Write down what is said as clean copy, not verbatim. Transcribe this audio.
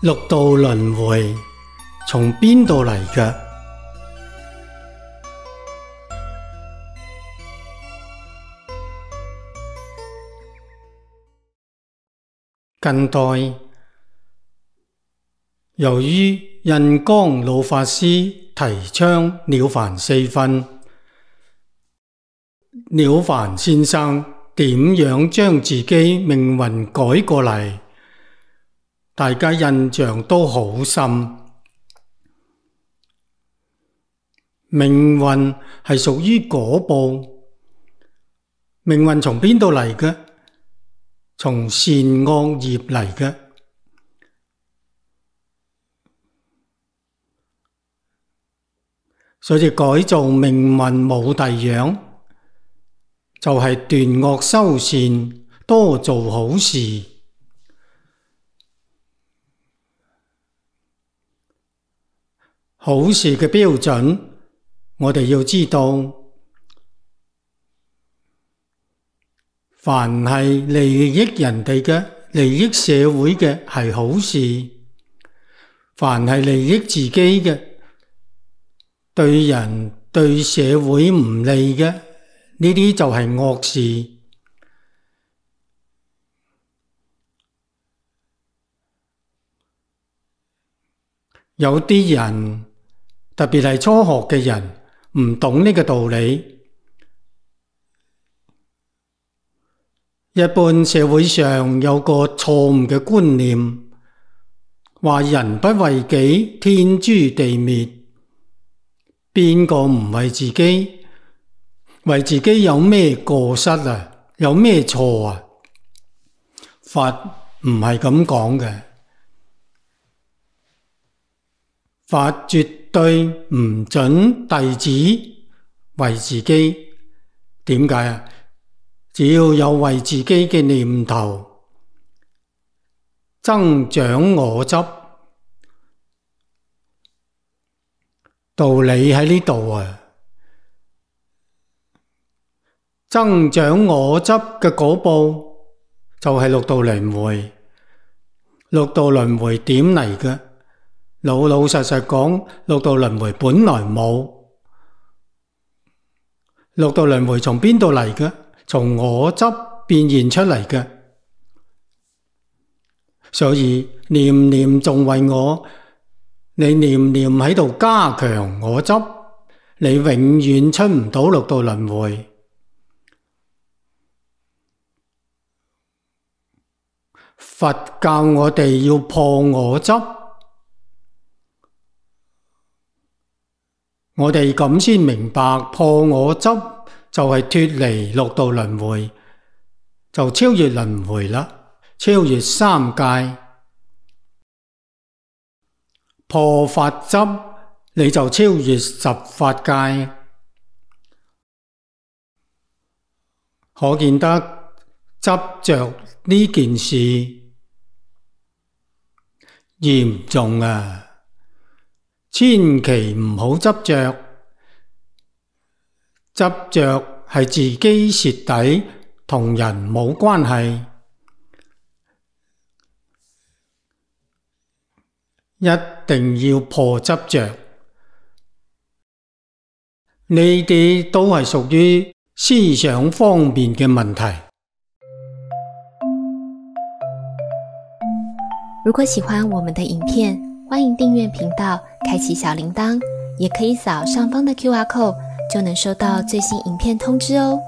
六道輪迴從邊度嚟嘅？近代由於印光老法師提倡了凡四訓，了凡先生點樣將自己命運改過嚟，大家印象都好深。命運係屬於果報，命運從邊度嚟嘅？從善惡業嚟嘅。所以改造命運冇第樣，就係斷惡修善，多做好事。好事嘅標準，我哋要知道，凡係利益人哋嘅、利益社會嘅係好事，凡係利益自己嘅、對人對社會唔利嘅，呢啲就係惡事。有啲人，特別係初學嘅人，唔懂呢個道理。一般社會上有個錯誤嘅觀念，話人不為己，天誅地滅。邊個唔為自己？為自己有咩過失啊？有咩錯啊？法唔係咁講嘅，法絕對唔准弟子為自己。點解啊？只要有為自己嘅念頭，增長我執，道理喺呢度啊！增長我執嘅果報就係六道輪迴。六道輪迴點嚟嘅？老老實實講，六道輪迴本來冇。六道輪迴從邊度嚟嘅？從我執變現出嚟嘅。所以念念仲為我，你念念喺度加強我執，你永遠出唔到六道輪迴。佛教我哋要破我執，我哋咁先明白破我執就係脫離六道輪迴，就超越輪迴啦，超越三界。破法執，你就超越十法界。可見得執着呢件事嚴重啊！千祈唔好執着，執着係自己蝕底，同人冇關係。一定要破執着，呢啲都係屬於思想方面嘅問題。如果喜歡我們的影片，歡迎訂閱頻道，開啟小鈴鐺，也可以掃上方的QR code，就能收到最新影片通知哦。